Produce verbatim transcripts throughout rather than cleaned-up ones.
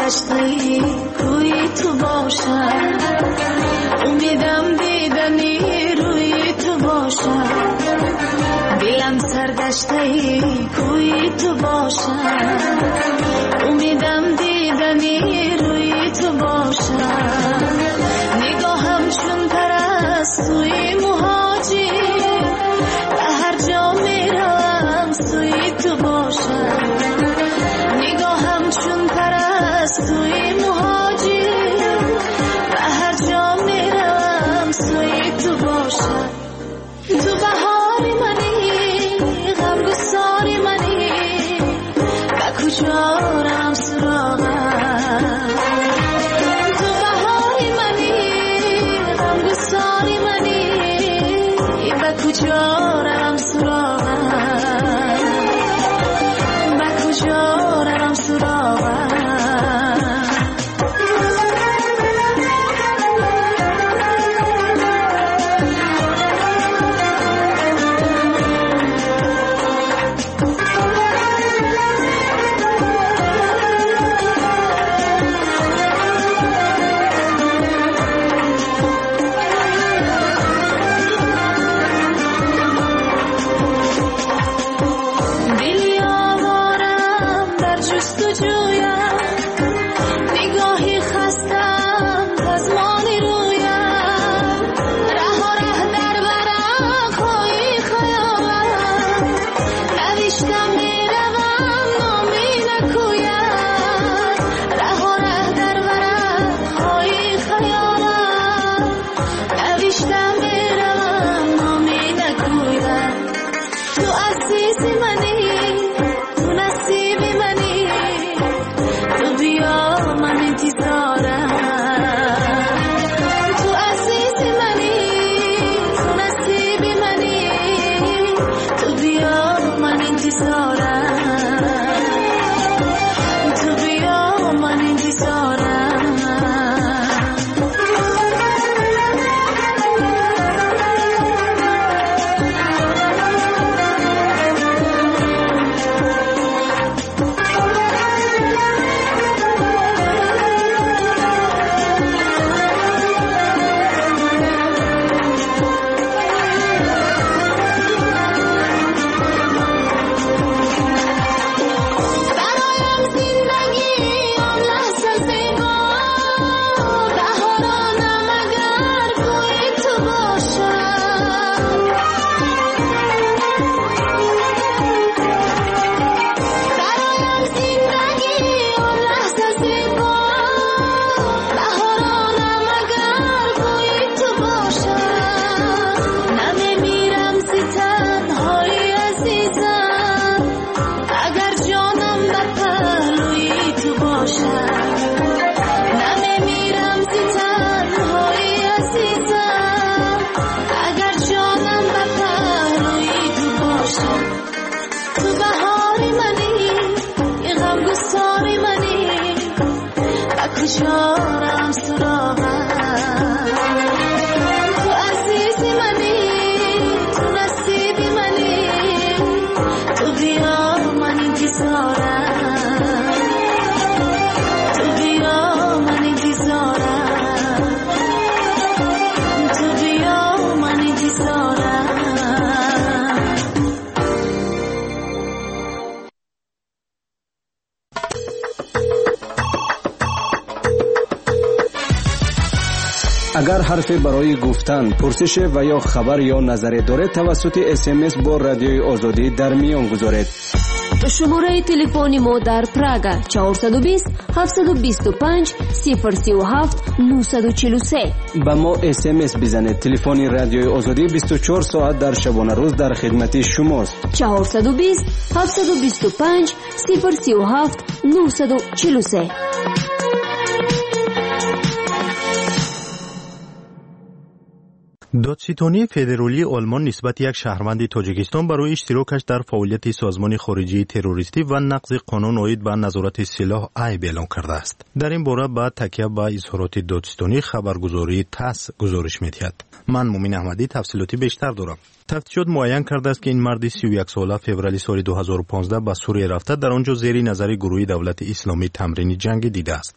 سرگشته کوی تو باشم، امیدم دیدنی روی تو باشم، دلم سرگشته کوی تو باشم، امیدم دیدنی روی تو باشم، نگاهم چون پرستوی مهاجر، به هر جا میروم سوی تو باشم، نگاهم چون پرستوی مهاجر، به هر جا میروم سوی تو باشم، تو بهار منی غمگسار منی، به کجا رم سراغم، تو بهار منی غمگسار منی، به کجا رم سراغم، به کجا رم سراغم. کجا سراغم، تو عزیز منی تو نصیب منی، تو بیا من انتظارم، تو بیا من انتظارم، تو بیا من انتظارم. агар ҳарфе барои гуфтан, пурсише ва ё хабар ё назаре доред, тавассути эс эм эс бо Радиои Озодӣ дар миён гузоред. Шумораи телефони мо дар Прага чорсаду бист ҳафтсаду бисту панҷ сифр сию ҳафт нуҳсаду чилу се. Ба мо эс эм эс бизанед. Телефони Радиои Озодӣ бисту чор соат дар шабонарӯз дар хидмати шумост. чорсаду бист ҳафтсаду бисту панҷ сифр сию ҳафт нуҳсаду чилу се. Додситонии федералии Олмон нисбати як шаҳрванди Тоҷикистон барои иштирокаш дар фаъолияти созмони хориҷии террористӣ ва нақзи қонун оид ба назорати силоҳ айб эълон кардааст. Дар ин бора ба такя ба изҳороти додситонӣ хабаргузории ТАСС гузориш медиҳад. Ман Мумин Аҳмадӣ тафсилоти бештар дорам. Тафтишот муайян кардааст, ки ин марди сию як сола феврали соли ду ҳазору понздаҳ ба Сурия рафта, дар он ҷо зери назари гурӯҳи давлати исломӣ тамрини ҷангӣ дидааст.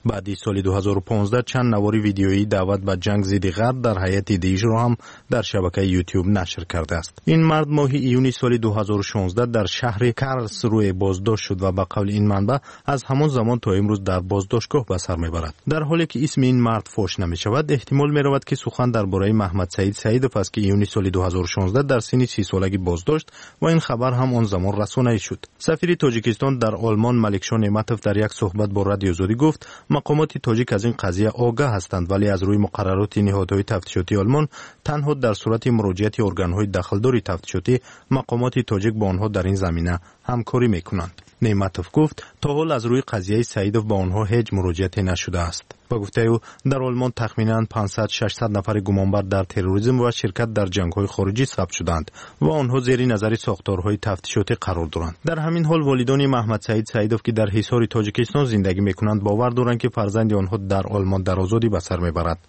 Баъди соли ду ҳазору понздаҳ чанд навори видеоии даъват ба ҷанг зидди ғарб дар ҳайати Даишро ҳам дар шабакаи Ютуб нашр кардааст. Ин мард моҳи июни соли ду ҳазору шонздаҳ дар шаҳри Карлсруэ боздошт шуд ва ба қавли ин манбаъ аз ҳамон замон то имрӯз дар боздоштгоҳ ба сар мебарад. Дар ҳоле ки исми ин мард фош намешавад, эҳтимол меравад, ки сухан дар бораи Маҳмадсаид Саидов аст, ки июни соли ду ҳазору шонздаҳ дар синни си солагӣ боздошт ва ин хабар ҳам он замон расонаӣ шуд. Сафири Тоҷикистон дар Олмон Маликшо Неъматов дар як суҳбат бо Радиои Озодӣ гуфт, мақомоти тоҷик аз ин қазия огаҳ ҳастанд, вале аз рӯи муқаррароти ниҳодҳои тафтишотии Олмон танҳо дар сурати муроҷиати органҳои дахлдори тафтишотӣ мақомоти тоҷик бо онҳо дар ин замина ҳамкорӣ мекунанд. Неъматов гуфт, то ҳол аз рӯи қазияи Саидов ба онҳо ҳеҷ муроҷиате нашудааст. Ба гуфтаи ӯ, дар Олмон тахминан панҷсад шашсад нафари гумонбар дар терроризм ва ширкат дар ҷангҳои хориҷӣ сабт шуданд ва онҳо зери назари сохторҳои тафтишотӣ қарор доранд. Дар ҳамин ҳол волидони Маҳмадсаид Саидов, ки дар Ҳисори Тоҷикистон зиндагӣ мекунанд, бовар доранд, ки фарзанди онҳо дар Олмон дар озодӣ ба сар мебарад.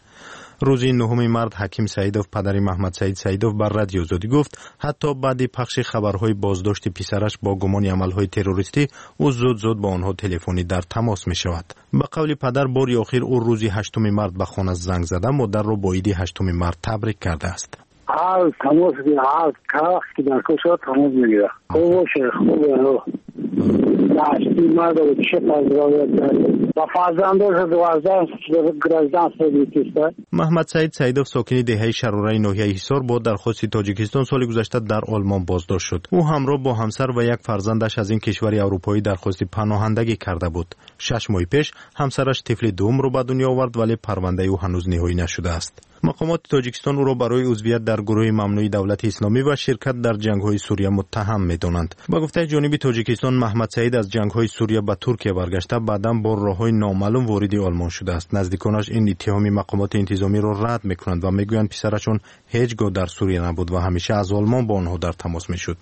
Рӯзи нуҳуми март Ҳаким Саидов, падари Маҳмадсаид Саидов, ба Радиои Озодӣ гуфт, ҳатто баъди пахши хабарҳои боздошти писараш бо гумони амалҳои террористӣ, ӯ зуд-зуд бо онҳо телефонӣ дар тамос мешавад. Ба қавли падар, бори охир ӯ рӯзи ҳаштуми март ба хона занг зада, модарро бо иди ҳаштуми март табрик кардааст. Ҳар тамос ҳар вақт ки дар кор шавад тамос мегирад. Хуб бошад, хуб Маҳмадсаид Саидов, сокини деҳаи Шарораи ноҳияи Ҳисор, бо дархости Тоҷикистон соли гузашта дар Олмон боздошт шуд. Ӯ ҳамроҳ бо ҳамсар ва як фарзандаш аз ин кишвари аврупоӣ дархости паноҳандагӣ карда буд. Шаш моҳи пеш ҳамсараш тифли дуюмро ба дунё овард, вале парвандаи ӯ ҳанӯз ниҳоӣ нашудааст. Мақомоти Тоҷикистон ӯро барои узвият дар гурӯҳи мамнӯи давлати исломӣ ва ширкат дар ҷангҳои Сурия муттаҳам медонанд. Ба гуфтаи ҷониби Тоҷикистон, Маҳмадсаид аз ҷангҳои Сурия ба Туркия баргашта, баъдан бо роҳҳои номаълум вориди Олмон шудааст. Наздиконаш ин иттиҳоми мақомоти интизомиро рад мекунанд ва мегӯянд, писарашон ҳеҷ гоҳ дар Сурия набуд ва ҳамеша аз Олмон бо онҳо дар тамос мешуд.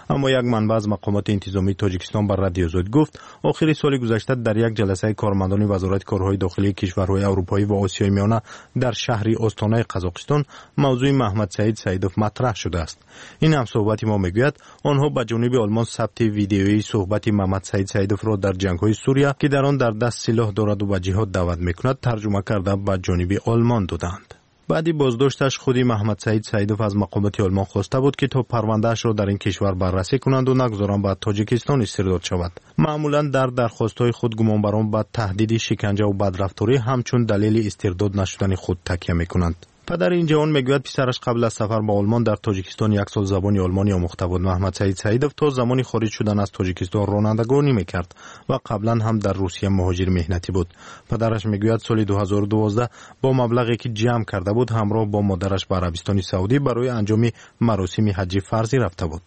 Аммо як манбаъ аз мақомоти интизомии Тоҷикистон ба Радиои Озодӣ гуфт, охири соли гузашта дар як ҷаласаи кормандони Вазорати корҳои дохилии кишварҳои аврупоӣ ва Осиёи Миёна дар шаҳри Остонаи Қазоқистон мавзӯи Маҳмадсаид Саидов матраҳ шудааст. Ин ҳамсӯҳбати мо мегӯяд, онҳо ба ҷониби Олмон сабти видеоии суҳбати Маҳмадсаид Саидовро дар ҷангҳои Сурия, ки дар он дар даст силоҳ дораду ба ҷиҳод даъват мекунад, тарҷума карда ба ҷониби Олмон доданд. Баъди боздошташ худи Маҳмадсаид Саидов аз мақомоти Олмон хоста буд, ки то парвандаашро дар ин кишвар баррасӣ кунанду нагузоранд ба Тоҷикистон истирдод шавад. Маъмулан дар дархостҳои худ гумонбарон ба таҳдиди шиканҷаву бадрафторӣ ҳамчун далели истирдод нашудани худ такя мекунанд. Падари ин ҷавон мегӯяд, писараш қабл аз сафар ба Олмон дар Тоҷикистон як сол забони олмонӣ омӯхта буд. Маҳмадсаид Саидов то замони хориҷ шудан аз Тоҷикистон ронандагонӣ мекард ва қаблан ҳам дар Русия муҳоҷири меҳнатӣ буд. Падараш мегӯяд, соли ду ҳазору дувоздаҳ бо маблағе ки ҷамъ карда буд, ҳамроҳ бо модараш ба Арабистони Саудӣ барои анҷоми маросими ҳаҷҷи фарзӣ рафта буд.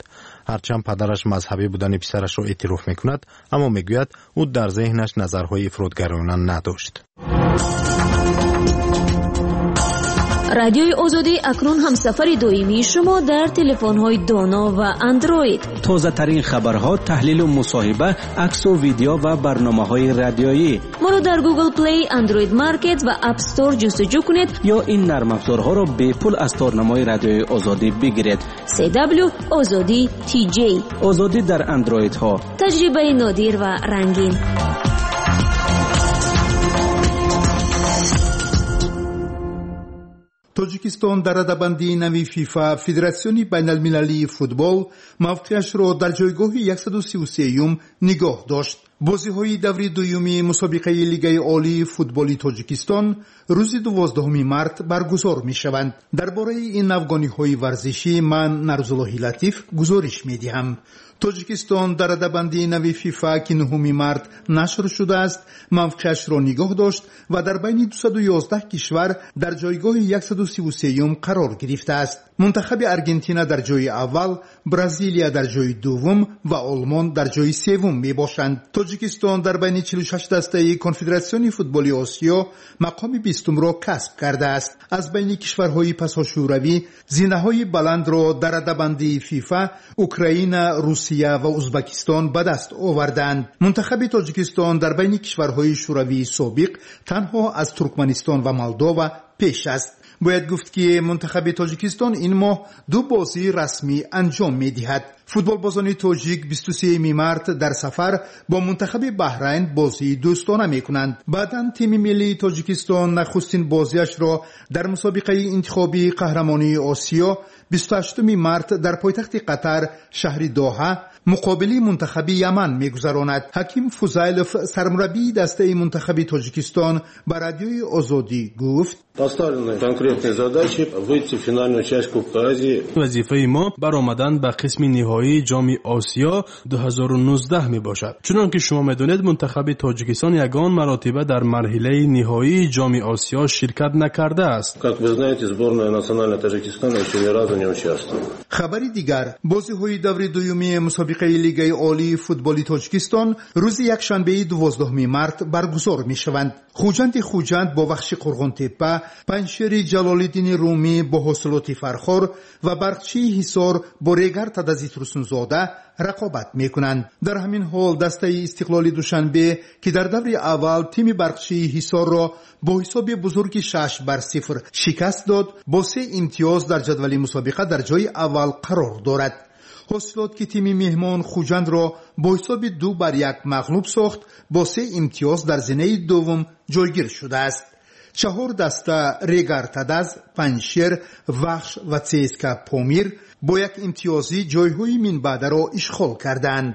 Ҳарчанд падараш мазҳабӣ будани писарашро эътироф мекунад, аммо мегӯяд, ӯ дар зеҳнаш назарҳои ифротгароёна надошт. Радиои Озодӣ акнун ҳамсафари доимии шумо дар телефонҳои доно ва Андроид. Тозатарин хабарҳо, таҳлилу мусоҳиба, аксу видео ва барномаҳои радиоӣ. Моро дар Google Play, Android Market ва App Store ҷустуҷӯ кунед ё ин нармафзорҳоро бепул аз торнамои Радиои Озодӣ бигиред. си дабл ю Озодӣ ти ҷей. Озодӣ дар Андроидҳо. Таҷрибаи нодир ва рангин. Тоҷикистон дар радабандии нави ФИФА, Федератсиони байналмилалии футбол, мавқеашро дар ҷойгоҳи яксаду сию сеюм нигоҳ дошт. Бозиҳои даври дуюми мусобиқаи Лигаи олии футболи Тоҷикистон рӯзи дувоздаҳуми март баргузор мешаванд. Дар бораи ин навгониҳои варзишӣ ман Нарзуллоҳи Латиф гузориш медиҳам. Тоҷикистон дар радабандии нави ФИФА, ки нуҳуми март нашр шудааст, мавқеашро нигоҳ дошт ва дар байни дусаду ёздаҳ кишвар дар ҷойгоҳи яксаду сиву сеюм қарор гирифтааст. Мунтахаби Аргентина дар ҷои аввал, Бразилия дар ҷои дуввум ва Олмон дар ҷои севум мебошанд. Тоҷикистон дар байни чилу шаш дастаи Конфедератсиони футболи Осиё мақоми бистумро касб кардааст. Аз байни кишварҳои пасошӯравӣ зинаҳои баландро дар радабандии ФИФА Украина, Русия ва Узбакистон ба даст оварданд. Мунтахаби Тоҷикистон дар байни кишварҳои шӯравии собиқ танҳо аз Туркманистон ва Молдова пеш аст. Бояд гуфт, ки мунтахаби Тоҷикистон ин моҳ ду бозии расмӣ анҷом медиҳад. Футболбозони тоҷик бисту сеюми март дар сафар бо мунтахаби Баҳрайн бозии дӯстона мекунанд. Баъдан тими миллии Тоҷикистон нахустин бозиашро дар мусобиқаи интихобии қаҳрамонии Осиё бисту ҳаштуми март дар пойтахти Қатар, шаҳри Доҳа, муқобили мунтахаби Яман мегузаронад. Ҳаким Фузайлов, сармураббии дастаи мунтахаби Тоҷикистон, ба Радиои Озодӣ гуфт: Поставлены конкретные задачи выйти в финальную часть Кубка Азии. Вазифаи мо баромадан ба қисми ниҳоии Ҷоми Осиё ду ҳазору нуздаҳ мебошад. Чунон ки шумо медонед, мунтахаби Тоҷикистон ягон маротиба дар марҳилаи ниҳоии Ҷоми Осиё ширкат накардааст. Как вы знаете, сборная национальная Таджикистана еще ни разу не участвовала. Хабари дигар: бозиҳои даври дуюми мусобиқаи Лигаи Олии футболи Тоҷикистон рӯзи якшанбеи дувоздаҳуми март баргузор мешаванд. Хуҷанди Хуҷанд бо Вахши Қурғонтеппа, Панҷшери Ҷалолиддини Румӣ бо Ҳосилоти Фархор ва Барқчии Ҳисор бо Регар Тадази Турсунзода рақобат мекунанд. Дар ҳамин ҳол дастаи Истиқлоли Душанбе, ки дар даври аввал тими Барқчии Ҳисорро бо ҳисоби бузурги шаш бар сифр шикаст дод, бо се имтиёз дар ҷадвали мусобиқа дар ҷои аввал қарор дорад. Ҳосилот, ки тими меҳмон Хуҷандро бо ҳисоби ду бар як мағлуб сохт, бо се имтиёз дар зинаи дуввум ҷойгир шудааст. Чаҳор даста Регар Тадаз, Панҷшер, Вахш ва ЦСКА Помир бо як имтиёзӣ ҷойҳои минбаъдаро ишғол карданд.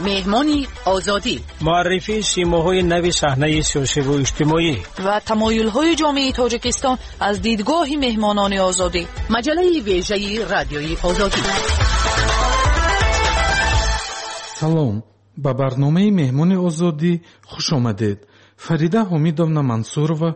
Меҳмони Озодӣ, муаррифии симоҳои нави саҳнаи сиёсиву иҷтимоӣ ва тамоюлҳои ҷомеаи Тоҷикистон аз дидгоҳи меҳмонони Озодӣ. Маҷаллаи вежаи Радиои Озодӣ. Салом, ба барномаи Меҳмони Озодӣ хуш омадед. Фарида Ҳомидовна Мансурова,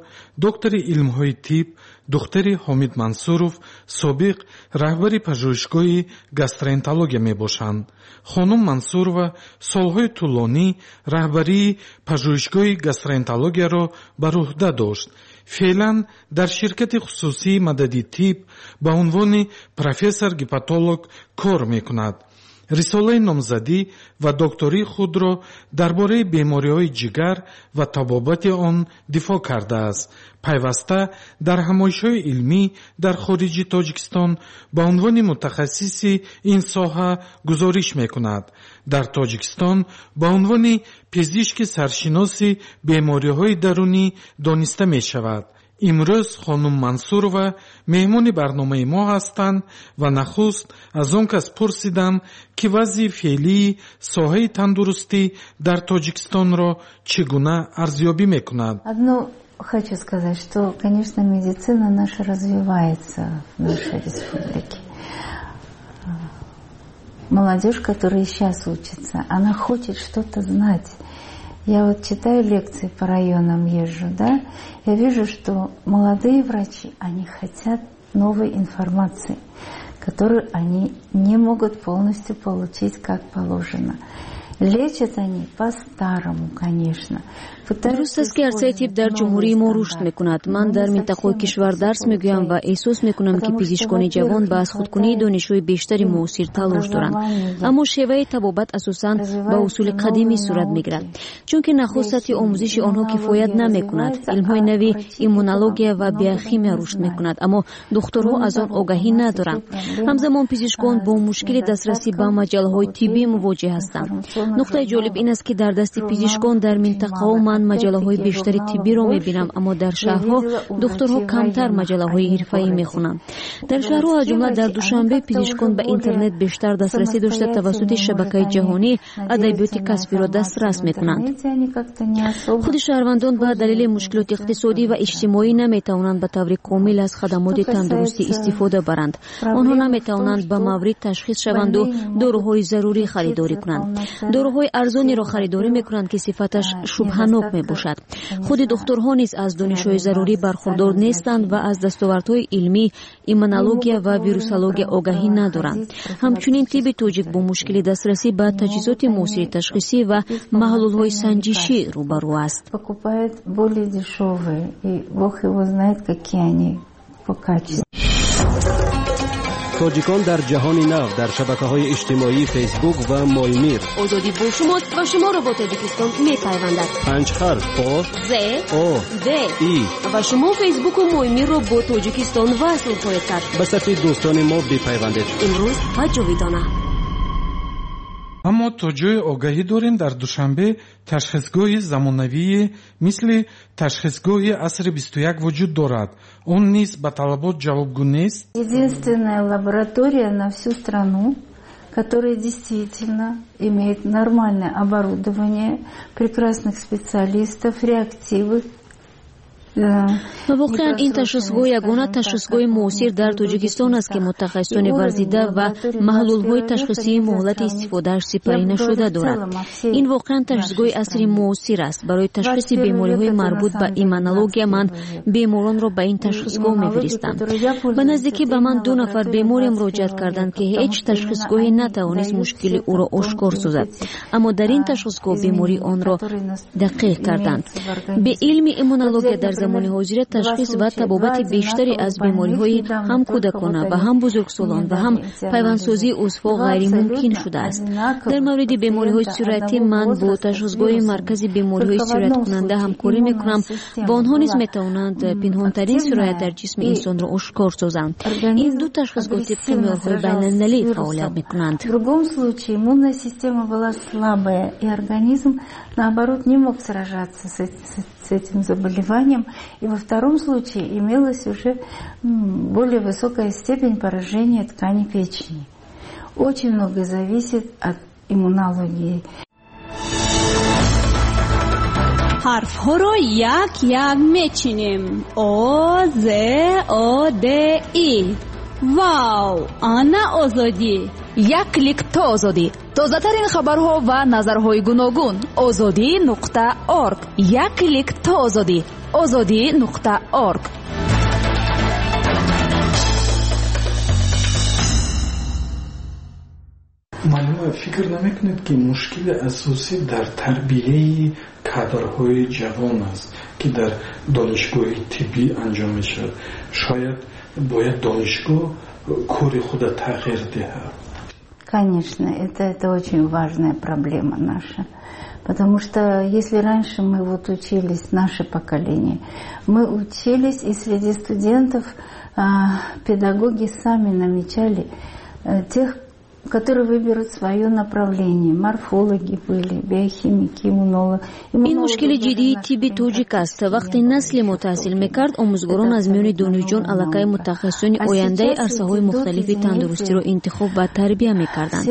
доктори илмҳои тиб, духтари Ҳомид Мансуров, собиқ раҳбари пажӯҳишгоҳи гастроэнтерология мебошанд. Хонум Мансурова солҳои тӯлонӣ раҳбарии пажӯҳишгоҳи гастроэнтерологияро бар уҳда дошт. Феълан дар ширкати хусусии Мадади тиб ба унвони профессор-гепатолог кор мекунад. Рисолаи номзадӣ ва доктории худро дар бораи бемориҳои ҷигар ва табобати он дифоъ кардааст. Пайваста дар ҳамоишҳои илмӣ дар хориҷи Тоҷикистон ба унвони мутахассиси ин соҳа гузориш мекунад. Дар Тоҷикистон ба унвони пизишки саршиноси бемориҳои дарунӣ дониста мешавад. Имрӯз хонум Мансурова меҳмони барномаи мо ҳастанд ва нахуст аз он кас пурсидам, ки вазъи феълии соҳаи тандурустӣ дар Тоҷикистонро чӣ гуна арзёбӣ мекунад. Одно хочу сказать, что, конечно, медицина наша развивается в нашей республике. Молодежь, которая сейчас учится, она хочет что-то знать. Я вот читаю лекции по районам, езжу, да, я вижу, что молодые врачи, они хотят новой информации, которую они не могут полностью получить как положено. Лечат они по-старому, конечно. Дуруст аст, ки арсаи тиб дар ҷумҳурии мо рушд мекунад. Ман дар минтақаҳои кишвар дарс мегӯям ва эҳсос мекунам, ки пизишкони ҷавон ба аз худкунии донишҳои бештари муосир талош доранд, аммо шеваи табобат асосан ба усули қадимӣ сурат мегирад, чунки нахуст сатҳи омӯзиши онҳо кифоят намекунад. Илмҳои нави иммунология ва биохимия рушд мекунад, аммо духтурҳо аз он огаҳӣ надоранд. Ҳамзамон пизишкон бо мушкили дастрасӣ ба маҷаллаҳои тиббӣ мувоҷеҳ ҳастанд. Нуқтаи ҷолиб ин аст, ки дар дасти пизишкон дар минтақаҳо ман маҷаллаҳои бештари тиббиро мебинам, аммо дар шаҳрҳо духтурҳо камтар маҷаллаҳои ҳирфаӣ мехонанд. Дар шаҳрҳо, аз ҷумла дар Душанбе, пизишкон ба интернет бештар дастрасӣ дошта, тавассути шабакаи ҷаҳонӣ адабиёти касбиро дастрас мекунанд. Худи шаҳрвандон ба далели мушкилоти иқтисодӣ ва иҷтимоӣ наметавонанд ба таври комил аз хадамоти тандурустӣ истифода баранд. Онҳо наметавонанд ба маврид ташхис шаванду доруҳои зарурӣ харидорӣ кунанд. Доруҳои арзонеро харидорӣ мекунанд, ки сифаташ шубҳанок мебошад. Худи духтурҳо низ аз донишҳои зарурӣ бархурдор нестанд ва аз дастовардҳои илмӣ, иммунология ва вирусология огаҳӣ надоранд. Ҳамчунин тибби тоҷик бо мушкили дастрасӣ ба таҷҳизоти муосири ташхисӣ ва маҳлулҳои санҷишӣ рӯбарӯ аст. Покупает более дешевые, и бог его знает, какие они по качеству. Тоҷикон дар ҷаҳони нав дар шабакаҳои иҷтимоии Фейсбук ва Моймир. Озодӣ бо шумост ва шуморо бо Тоҷикистон мепайвандад. Панҷ ҳарф О З О Д И ва шумо Фейсбуку Моймирро бо Тоҷикистон васл хоҳед кард. Ба сафи дӯстони мо бипайвандед. Имрӯз ва ҷовидона. Аммо то ҷое огаҳӣ дорем, дар Душанбе ташхисгоҳи замонавие мисли ташхисгоҳи асри бисту як вуҷуд дорад. Он низ ба талабот ҷавобгӯ нест. Единственная лаборатория на всю страну, которая действительно имеет нормальное оборудование, прекрасных специалистов, реактивы. Ва воқеан ин ташхисгоҳ ягона ташхисгоҳи муосир дар Тоҷикистон аст, ки мутахассисони варзида ва маҳлулҳои ташхисии муҳлати истифодааш сипарӣ нашуда дорад. Ин воқеан ташхисгоҳи асри муосир аст. Барои ташхиси бемориҳои марбут ба иммунология ман беморонро ба ин ташхисгоҳ мефиристам. Ба наздикӣ ба ман ду нафар беморе муроҷиат карданд, ки ҳеҷ ташхисгоҳе натавонист мушкили ӯро ошкор созад, аммо дар ин ташхисгоҳ бемории онро дақиқ карданд. Беилми иммунология дар замони ҳозира ташхис ва табобати бештаре аз бемориҳои ҳам кӯдакона ва ҳам бузургсолон ва ҳам пайвандсозии узвҳо ғайримумкин шудааст. Дар мавриди бемориҳои сироятӣ ман бо ташхисгоҳи маркази бемориҳои сирояткунанда ҳамкорӣ мекунам ва онҳо низ метавонанд пинҳонтарин сироят дар ҷисми инсонро ошкор созанд. Ин ду ташхисгоҳ тибқи меъёрҳои байналмилалӣ фаъолият мекунанд. В другом случае иммунная система была слабая, и организм, наоборот, не мог сражаться с, с, с этим заболеванием. И во втором случае имелась уже более высокая степень поражения ткани печени. Очень много зависит от иммунологии. Ҳарфҳоро як-як мечинем. О, З, О, Д, И. Вау! Ана Озодӣ! Як клик то Озодӣ. Тозатарин хабарҳо ва назарҳои гуногун. Озодӣ нуқта орг. Як клик то Озодӣ. Озодӣ нуқта орг. Муаллима, фикр намекунед, ки мушкили асосӣ дар тарбияи кадрҳои ҷавон аст, ки дар донишгоҳи тиббӣ анҷом мешавад? Шояд бояд донишгоҳ кори худа тағйир диҳад? Конечно, это, это очень важная проблема наша. Потому что если раньше мы вот учились, наше поколение, мы учились, и среди студентов а, педагоги сами намечали а, тех, которые выберут свое направление. Морфологи были, биохимики, иммунологи. Ин мушкили ҷиддии тибби тоҷик аст. Вақте насли мо таҳсил мекард, омӯзгорон аз миёни донишҷӯён аллакай мутахассисони ояндаи арсаҳои мухталифи тандурустиро интихоб ва тарбия мекарданд.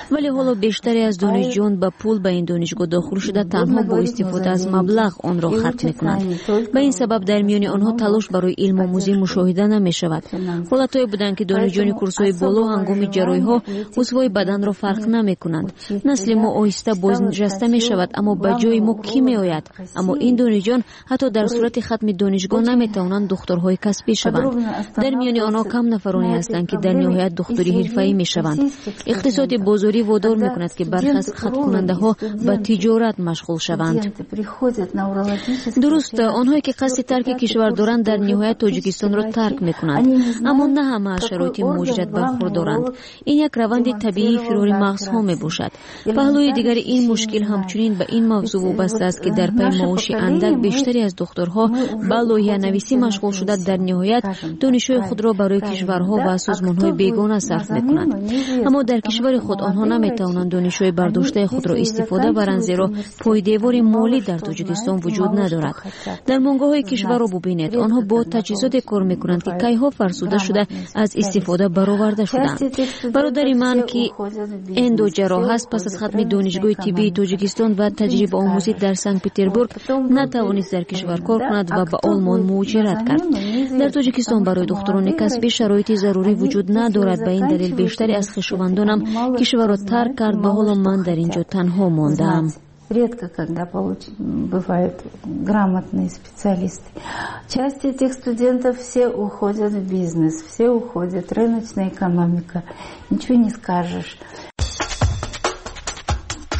Вале ҳоло бештаре аз донишҷӯён ба пул ба ин донишгоҳ дохил шуда, танҳо бо истифода аз маблағ онро хатм мекунанд. Ба ин сабаб дар миёни онҳо талош барои илмомӯзӣ мушоҳида намешавад. Ҳолатҳое буданд, ки донишҷӯёни курсҳои боло ҳангоми ҷарроҳиҳо узвҳои баданро фарқ намекунанд. Насли мо оҳиста бознишаста мешавад, аммо ба ҷои мо кӣ меояд? Аммо ин донишҷӯён ҳатто дар сурати хатми донишгоҳ наметавонанд духторҳои касбӣ шаванд. Дар миёни онҳо кам нафароне ҳастанд, ки дар ниҳоят духтури ҳирфаӣ мешаванд. Иқтисоди бозорӣ водор мекунад, ки бархе аз хаткунандаҳо ба тиҷорат машғул шаванд. Дуруст, онҳое ки қасди тарки кишвар доранд, дар ниҳоят Тоҷикистонро тарк мекунанд, аммо на ҳама аз шароити муҳоҷират бархурдоранд. Ин як раванди табиии фирори мағзҳо мебошад. Паҳлӯи дигари ин мушкил ҳамчунин ба ин мавзӯъ вобаста аст, ки дар пайи маоши андак бештаре аз духторҳо ба лоиҳанависӣ машғул шуда, дар ниҳоят донишҳои худро барои кишварҳо ва созмонҳои бегона сарф мекунанд. Аммо дар кишвари худ онҳо наметавонанд донишҳои бардоштаи худро истифода баранд, зеро пойдевори молӣ дар Тоҷикистон вуҷуд надорад. Дармонгоҳҳои кишварро бубинед, онҳо бо таҷҳизоте кор мекунанд, ки кайҳо фарсуда шуда аз истифода бароварда шудаанд. Бародари ман, ки эндоҷарроҳ аст, пас аз хатми донишгоҳи тиббии Тоҷикистон ва таҷрибаомӯзӣ дар Санкт-Петербург натавонист дар кишвар кор кунад ва ба Олмон муҳоҷират кард. Дар Тоҷикистон барои духтурони касбӣ шароити зарурӣ вуҷуд надорад. Ба ин далел бештаре аз хешовандонам кишварро тарк кард ва ҳоло ман дар ин ҷо танҳо мондаам. Редко когда получ... бывают грамотные специалисты. Часть этих студентов все уходят в бизнес, все уходят, рыночная экономика, ничего не скажешь.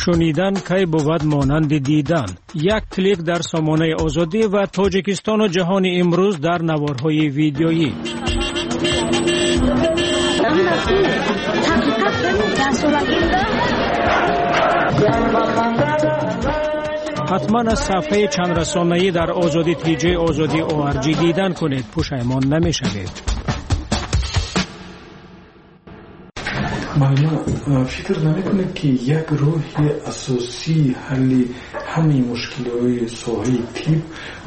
Шунидан кай бувад монанди дидан. Як клик дар сомонаи Озодӣ ва Тоҷикистону ҷаҳони имрӯз дар наворҳои видеоӣ. Ҳатман аз сафҳаи чандрасонаӣ дар Озодӣ тиҷи Озодӣ орг дидан кунед, пушаймон намешавед. Муаллима, фикр намекунед, ки як роҳи асосии ҳалли ҳамаи мушкилиҳои соҳаи тиб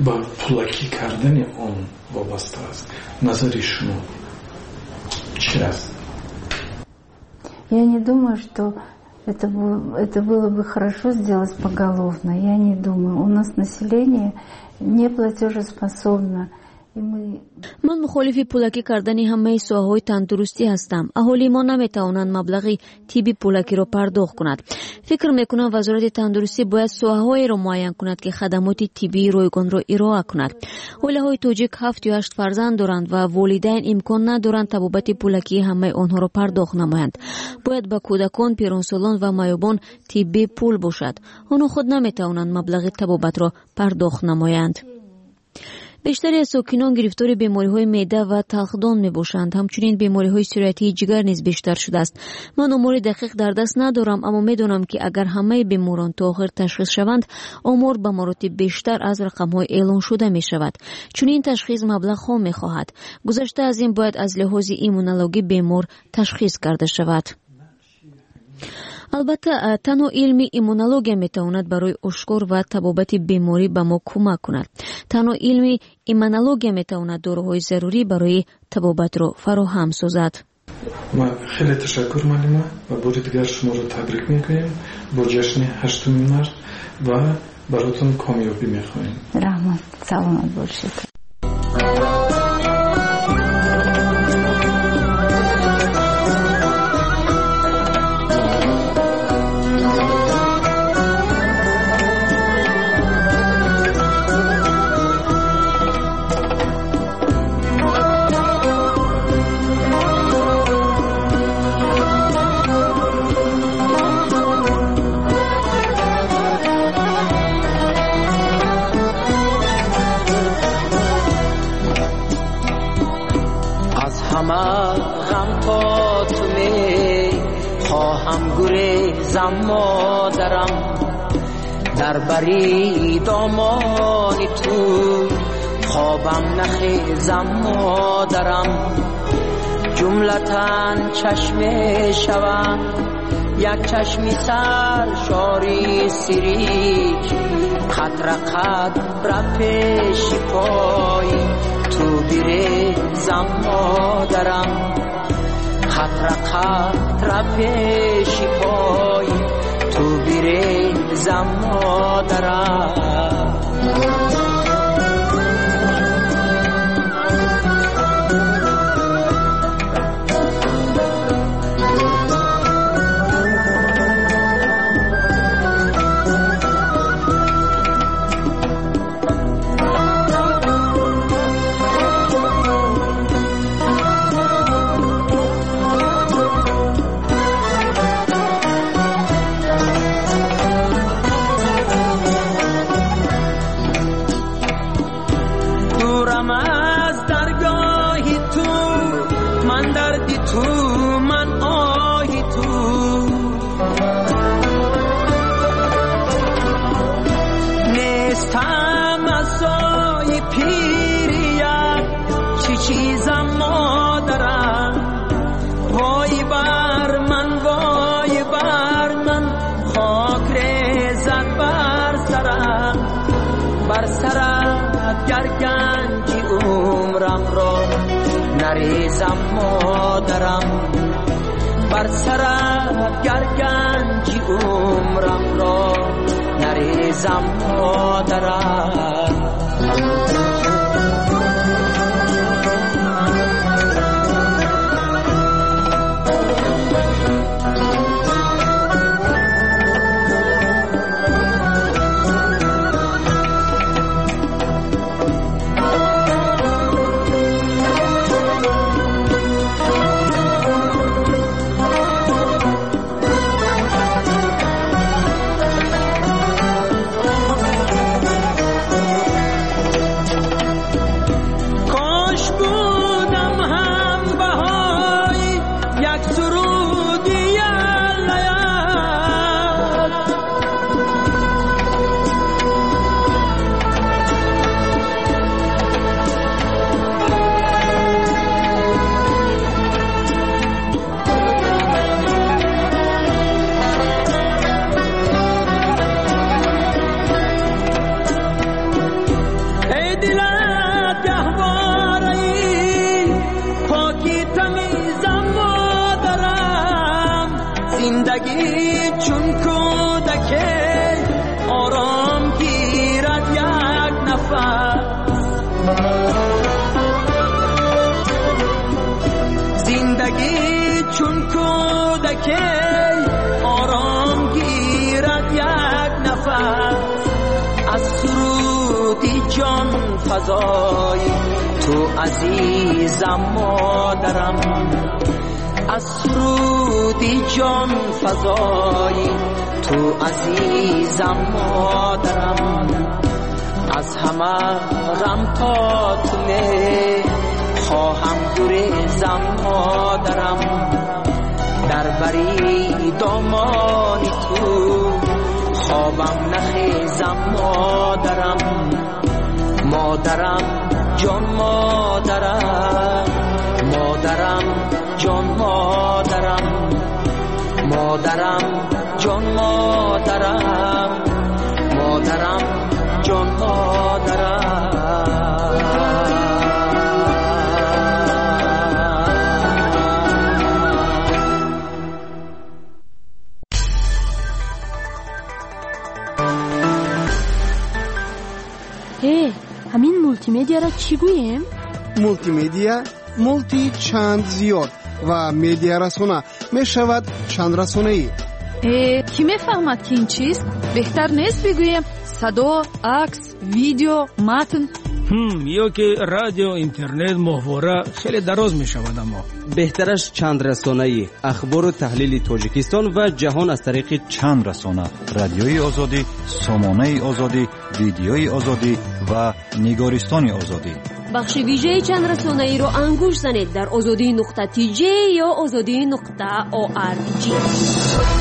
ба пулакӣ кардани он вобаста аст? Назари шумо чи аст? Я не думаю, что это, это было бы хорошо сделать поголовно. Я не думаю. У нас население не платежеспособно. Ман мухолифи пулакӣ кардани ҳамаи соҳаҳои тандурустӣ ҳастам. Аҳолии мо наметавонанд маблағи тибби пулакиро пардохт кунад. Фикр мекунам, вазорати тандурустӣ бояд соҳаҳоеро муайян кунад, ки хадамоти тиббии ройгонро ироа кунад. Оилаҳои тоҷик ҳафт ё ҳашт фарзанд доранд ва волидайн имкон надоранд табобати пулакии ҳамаи онҳоро пардохт намоянд. Бояд ба кӯдакон, пиронсолон ва маъюбон тибби пул бошад. Онҳо худ наметавонанд маблағи табобатро пардохт намоянд. Бештари аз сокинон гирифтори бемориҳои меъда ва талхдон мебошанд. Ҳамчунин бемориҳои сироятии ҷигар низ бештар шудааст. Ман омори дақиқ дар даст надорам, аммо медонам, ки агар ҳамаи беморон то охир ташхис шаванд, омор ба маротиб бештар аз рақамҳои эълоншуда мешавад. Чунин ташхис маблағҳо мехоҳад. Гузашта аз ин бояд аз лиҳози иммунологӣ бемор ташхис карда шавад. Албатта, танҳо илми иммунология метавонад барои ошкор ва табобати беморӣ ба мо кӯмак кунад. Танҳо илми иммунология метавонад доруҳои зарурӣ барои табобатро фароҳам созад. Хеле ташаккур, муаллима, ва бори дигар шуморо табрик мекунем бо ҷашни ҳаштуми март ва баротон комёбӣ мехоҳем. Раҳмат, саломат бошед. ҳама ғам то ту мехоҳам гурезам модарам, дар бари домони ту خوابم نخیزم مادرم، جملتن چشم شوم یک چشمی سر شاری سیریک، قطره قطره پیش پای تو بریزم مادرم، قطره قطره پیش پای تو بریزم مادرم. نریزم مادرم، بر سرت گر گنجی عمرم را نریزم مادرم. فضای تو عزیزم مادرم، از سرودی جان فضای تو عزیزم مادرم، از همه غم تا تو خواهم گریزم مادرم، در بری دامان تو خوابم نخیزم مادرم، مادرم جان مادرم، مادرم جان مادرم، مادرم جان مادرم، مادرم جان مادرم. ҳамин мултимедиаро чӣ гӯем? Мултимедиа мулти чанд зиёд ва медиарасона мешавад чанд расонаӣ. Э, кӣ мефаҳмад ки ин чист? Беҳтар нест бигӯем садо, акс, видео, матн? Ҳм, ё ки радио, интернет, моҳвора хеле дароз мешавад, аммо беҳтараш чанд расонаӣ, ахбору таҳлили Тоҷикистон ва ҷаҳон аз тариқи чанд расона, радиои озодӣ, сомонаи озодӣ, видеои озодӣ ва нигористони озодӣ. Бахши вижаи чандрасонаиро ангушт занед дар озодӣ нуқта тж ё озодӣ нуқта орг.